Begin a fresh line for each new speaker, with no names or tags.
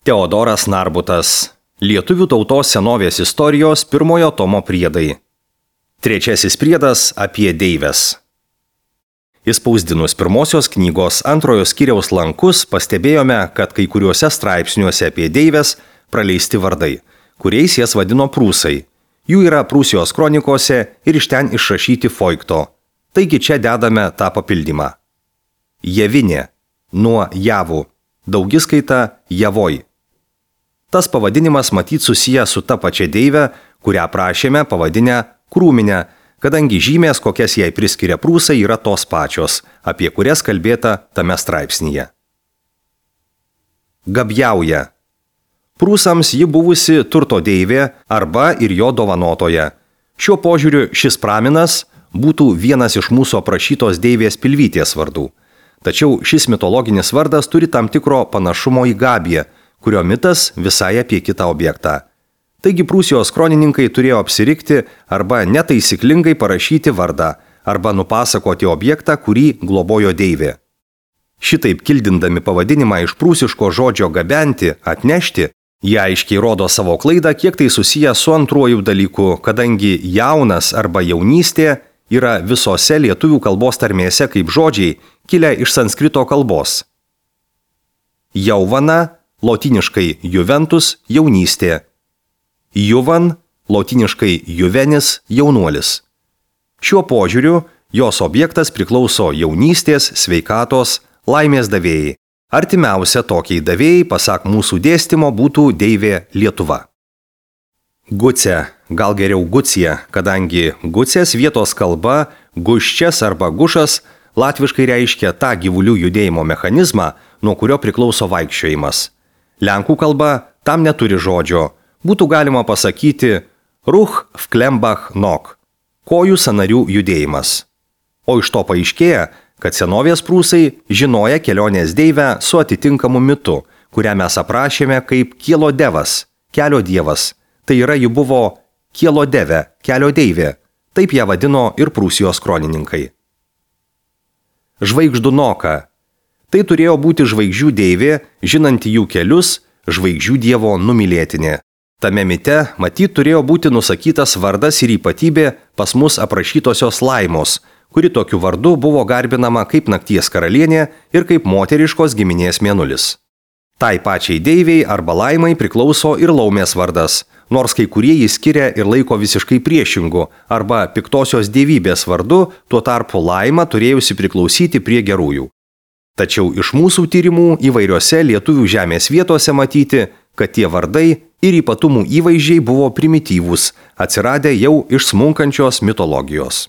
Teodoras Narbutas. Lietuvių tautos senovės istorijos 1 tomo priedai. 3 priedas apie deives. Įspausdinus pirmosios knygos 2 skyriaus lankus pastebėjome, kad kai kuriuose straipsniuose apie deives praleisti vardai, kuriais jas vadino prūsai. Jų yra Prūsijos kronikose ir iš ten išrašyti Foikto. Taigi čia dedame tą papildymą. Javinė, nuo javų, daugiskaita javoj. Tas pavadinimas matyt susijęs su ta pačia deive, kurią prašėme pavadinę krūminę, kadangi žymės, kokias jai priskiria prūsai, yra tos pačios, apie kurias kalbėta tame straipsnyje. Gabjauja. Prūsams ji buvusi turto deivė arba ir jo dovanotoja. Šiuo požiūriu šis praminas būtų vienas iš mūsų aprašytos deivės Pilvytės vardų. Tačiau šis mitologinis vardas turi tam tikro panašumo į Gabiją, kurio mitas visai apie kitą objektą. Taigi Prūsijos kronininkai turėjo apsirikti arba netaisyklingai parašyti vardą, arba nupasakoti objektą, kurį globojo deivė. Šitaip kildindami pavadinimą iš prūsiško žodžio gabenti, atnešti, jie aiškiai rodo savo klaidą, kiek tai susiję su antruoju dalyku, kadangi jaunas arba jaunystė yra visose lietuvių kalbos tarmėse kaip žodžiai, kilę iš sanskrito kalbos. Jauvana, lotyniškai juventus, jaunystė. Juvan, lotyniškai juvenis, jaunuolis. Šiuo požiūriu jos objektas priklauso jaunystės, sveikatos, laimės davėjai. Artimiausia tokiai davėjai, pasak mūsų dėstymo, būtų deivė Lietuva. Gucė, gal geriau Gucija, kadangi Gucės vietos kalba, guščias arba gušas, latviškai reiškia tą gyvulių judėjimo mechanizmą, nuo kurio priklauso vaikščiojimas. Lenkų kalba tam neturi žodžio. Būtų galima pasakyti ruch vklembach nok, kojų sąnarių judėjimas. O iš to paaiškėja, kad senovės prūsai žinoja kelionės deivę su atitinkamu mitu, kurią mes aprašėme kaip kielo devas, kelio dievas. Tai yra, ji buvo kielo deve, kelio deivė. Taip ją vadino ir Prūsijos kronininkai. Žvaigždunoka. Tai turėjo būti žvaigždžių deivė, žinanti jų kelius, žvaigždžių dievo numylėtinė. Tame mite matyt turėjo būti nusakytas vardas ir ypatybė pas mus aprašytosios Laimos, kuri tokiu vardu buvo garbinama kaip nakties karalienė ir kaip moteriškos giminės mėnulis. Tai pačiai deiviai arba Laimai priklauso ir Laumės vardas, nors kai kurie jį skiria ir laiko visiškai priešingu arba piktosios dievybės vardu, tuo tarpu Laima turėjusi priklausyti prie gerųjų. Tačiau iš mūsų tyrimų įvairiose lietuvių žemės vietose matyti, kad tie vardai ir ypatumų įvaizdžiai buvo primityvūs, atsiradę jau iš smunkančios mitologijos.